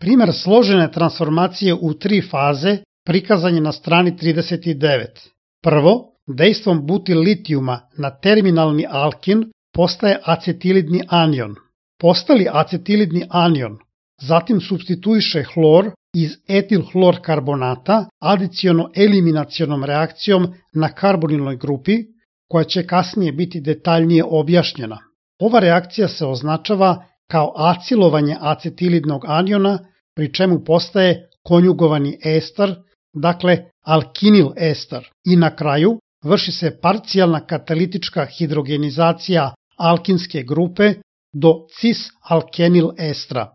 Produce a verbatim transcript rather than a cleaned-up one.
Primer složene transformacije u tri faze prikazan je na strani trideset devet. Prvo, dejstvom butilitijuma na terminalni alkin postaje acetilidni anion. Postali acetilidni anion zatim supstituiše hlor iz etilhlorkarbonata adiciono-eliminacionom reakcijom na karbonilnoj grupi, koja će kasnije biti detaljnije objašnjena. Ova reakcija se označava kao acilovanje acetilidnog aniona, pri čemu postaje konjugovani ester, dakle alkinil ester, i na kraju vrši se parcijalna katalitička hidrogenizacija alkinske grupe do cis-alkenil estra.